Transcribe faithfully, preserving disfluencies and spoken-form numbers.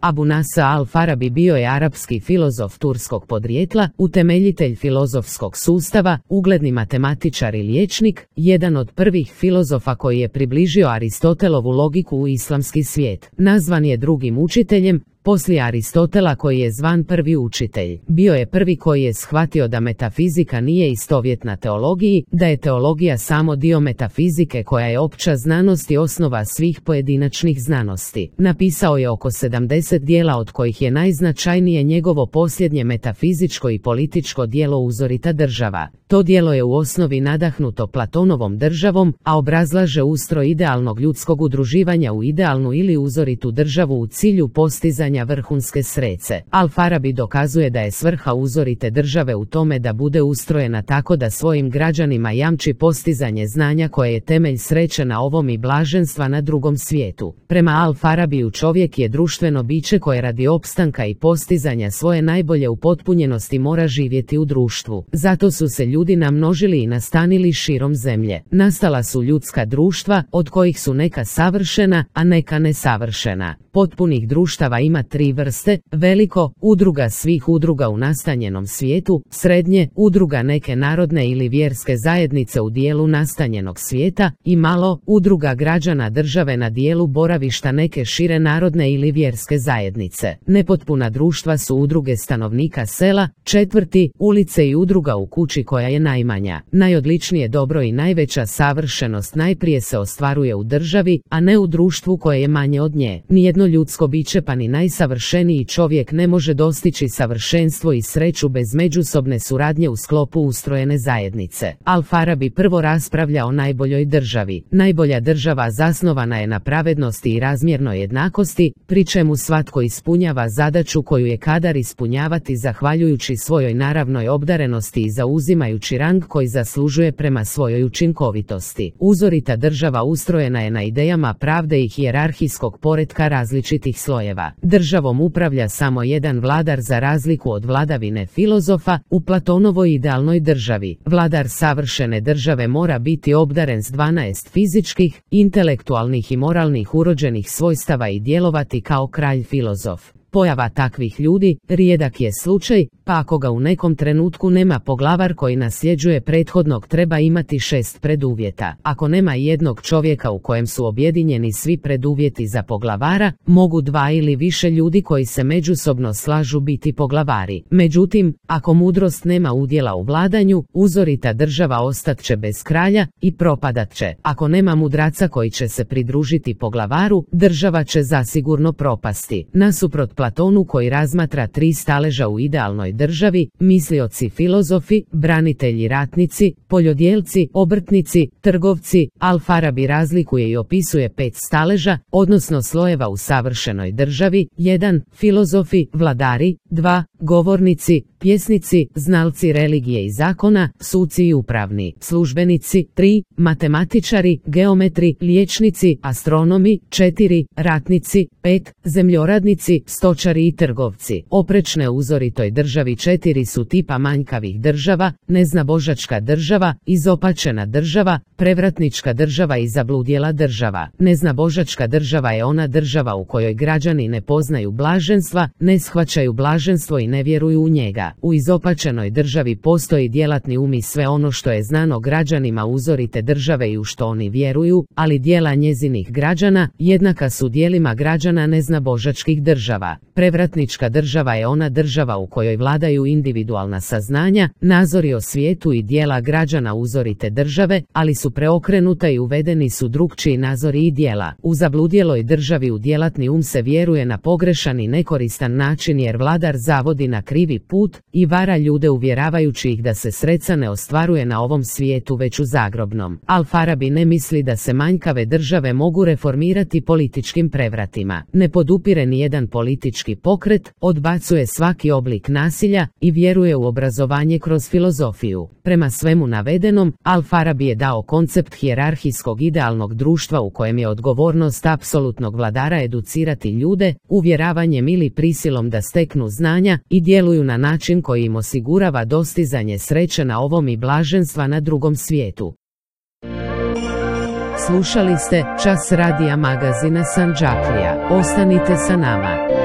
Abu Nasr al-Farabi bio je arapski filozof turskog podrijetla, utemeljitelj filozofskog sustava, ugledni matematičar i liječnik, jedan od prvih filozofa koji je približio Aristotelovu logiku u islamski svijet. Nazvan je drugim učiteljem, poslije Aristotela koji je zvan prvi učitelj. Bio je prvi koji je shvatio da metafizika nije istovjetna teologiji, da je teologija samo dio metafizike koja je opća znanost i osnova svih pojedinačnih znanosti. Napisao je oko sedamdeset djela od kojih je najznačajnije njegovo posljednje metafizičko i političko djelo Uzorita država. To djelo je u osnovi nadahnuto Platonovom državom, a obrazlaže ustroj idealnog ljudskog udruživanja u idealnu ili uzoritu državu u cilju postizanja vrhunske sreće. Al-Farabi dokazuje da je svrha uzorite države u tome da bude ustrojena tako da svojim građanima jamči postizanje znanja koje je temelj sreće na ovom i blaženstva na drugom svijetu. Prema Al-Farabiju čovjek je društveno biće koje radi opstanka i postizanja svoje najbolje upotpunjenosti mora živjeti u društvu. Zato su se ljudi namnožili i nastanili širom zemlje. Nastala su ljudska društva, od kojih su neka savršena, a neka nesavršena. Potpunih društava ima tri vrste: veliko, udruga svih udruga u nastanjenom svijetu; srednje, udruga neke narodne ili vjerske zajednice u dijelu nastanjenog svijeta; i malo, udruga građana države na dijelu boravišta neke šire narodne ili vjerske zajednice. Nepotpuna društva su udruge stanovnika sela, četvrti, ulice i udruga u kući koja je najmanja. Najodličnije dobro i najveća savršenost najprije se ostvaruje u državi, a ne u društvu koje je manje od nje. Nijedno ljudsko biće pa ni najsavršeniji čovjek ne može dostići savršenstvo i sreću bez međusobne suradnje u sklopu ustrojene zajednice. Al-Farabi prvo raspravlja o najboljoj državi. Najbolja država zasnovana je na pravednosti i razmjernoj jednakosti, pri čemu svatko ispunjava zadaću koju je kadar ispunjavati zahvaljujući svojoj naravnoj obdarenosti i zauzimajući rang koji zaslužuje prema svojoj učinkovitosti. Uzorita država ustrojena je na idejama pravde i hijerarhijskog poretka različitih slojeva. Državom upravlja samo jedan vladar za razliku od vladavine filozofa. U Platonovoj idealnoj državi vladar savršene države mora biti obdaren s dvanaest fizičkih, intelektualnih i moralnih urođenih svojstava i djelovati kao kralj filozof. Pojava takvih ljudi rijedak je slučaj, pa ako ga u nekom trenutku nema poglavar koji nasljeđuje prethodnog, treba imati šest preduvjeta. Ako nema jednog čovjeka u kojem su objedinjeni svi preduvjeti za poglavara, mogu dva ili više ljudi koji se međusobno slažu biti poglavari. Međutim, ako mudrost nema udjela u vladanju, uzorita država ostat će bez kralja i propadat će. Ako nema mudraca koji će se pridružiti poglavaru, država će zasigurno propasti. Nasuprot Platonu koji razmatra tri staleža u idealnoj državi, mislioci filozofi, branitelji ratnici, poljodjelci, obrtnici, trgovci, Al-Farabi razlikuje i opisuje pet staleža, odnosno slojeva u savršenoj državi: jedan Filozofi, vladari; dva Govornici, pjesnici, znalci religije i zakona, suci i upravni službenici; tri Matematičari, geometri, liječnici, astronomi; četiri Ratnici; pet Zemljoradnici, stočari i trgovci. Oprečne uzoritoj državi četiri su tipa manjkavih država: neznabožačka država, izopačena država, prevratnička država i zabludjela država. Neznabožačka država je ona država u kojoj građani ne poznaju blaženstva, ne shvaćaju blaženstvo i ne vjeruju u njega. U izopačenoj državi postoji djelatni um i sve ono što je znano građanima uzorite države i u što oni vjeruju, ali djela njezinih građana jednaka su djelima građana neznabožačkih država. Prevratnička država je ona država u kojoj vladaju individualna saznanja, nazori o svijetu i djela građana uzorite države, ali su preokrenuta i uvedeni su drukčiji nazori i djela. U zabludjeloj državi u djelatni um se vjeruje na pogrešan i nekoristan način jer vladar zavodi na krivi put i vara ljude uvjeravajući ih da se sreća ne ostvaruje na ovom svijetu već u zagrobnom. Al-Farabi ne misli da se manjkave države mogu reformirati političkim prevratima. Ne podupire ni jedan politički pokret, odbacuje svaki oblik nasilja i vjeruje u obrazovanje kroz filozofiju. Prema svemu navedenom, Al-Farabi je dao koncept hijerarhijskog idealnog društva u kojem je odgovornost apsolutnog vladara educirati ljude, uvjeravanjem ili prisilom da steknu znanja i djeluju na način koji im osigurava dostizanje sreće na ovom i blaženstva na drugom svijetu. Slušali ste Čas radija magazina Sandžaklija. Ostanite sa nama.